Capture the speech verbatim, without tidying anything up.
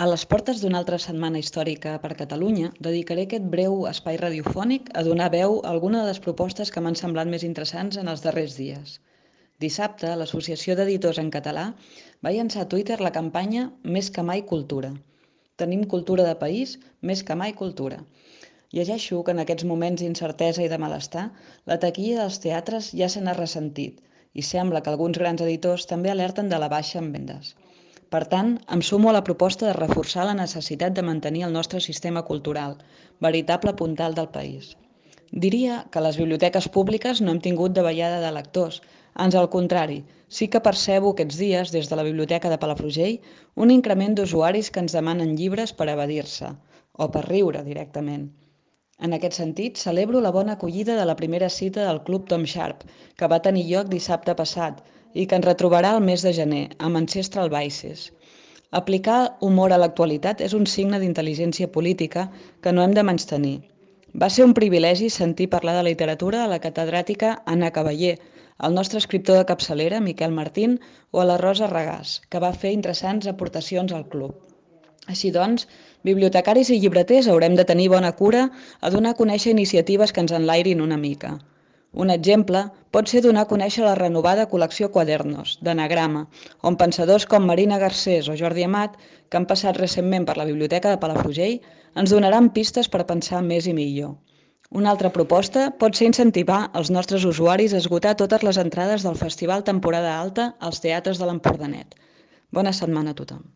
A les portes d'una altra setmana històrica per Catalunya, dedicaré aquest breu espai radiofònic a donar veu a alguna de les propostes que m'han semblat més interessants en els darrers dies. Dissabte, l'Associació d'Editors en Català va llançar a Twitter la campanya Més que mai cultura. Tenim cultura de país, més que mai cultura. Llegeixo que en aquests moments d'incertesa i de malestar, la taquilla dels teatres ja se n'ha ressentit i sembla que alguns grans editors també alerten de la baixa en vendes. Per tant, em sumo a la proposta de reforçar la necessitat de mantenir el nostre sistema cultural, veritable puntal del país. Diria que a les biblioteques públiques no hem tingut davallada de lectors, ans al contrari, sí que percebo aquests dies, des de la Biblioteca de Palafrugell, un increment d'usuaris que ens demanen llibres per evadir-se, o per riure directament. En aquest sentit, celebro la bona acollida de la primera cita del Club Tom Sharp, que va tenir lloc dissabte passat i que ens retrobarà el mes de gener, amb Ancestral Vices. Aplicar humor a l'actualitat és un signe d'intel·ligència política que no hem de menystenir. Va ser un privilegi sentir parlar de literatura a la catedràtica Anna Cavallé, al nostre escriptor de capçalera, Miquel Martín, o a la Rosa Regàs, que va fer interessants aportacions al club. Així doncs, bibliotecaris i llibreters haurem de tenir bona cura a donar a conèixer iniciatives que ens enlairin una mica. Un exemple pot ser donar a conèixer la renovada col·lecció Quadernos, d'anagrama, on pensadors com Marina Garcés o Jordi Amat, que han passat recentment per la Biblioteca de Palafrugell, ens donaran pistes per pensar més i millor. Una altra proposta pot ser incentivar els nostres usuaris a esgotar totes les entrades del Festival Temporada Alta als teatres de l'Empordanet. Bona setmana a tothom.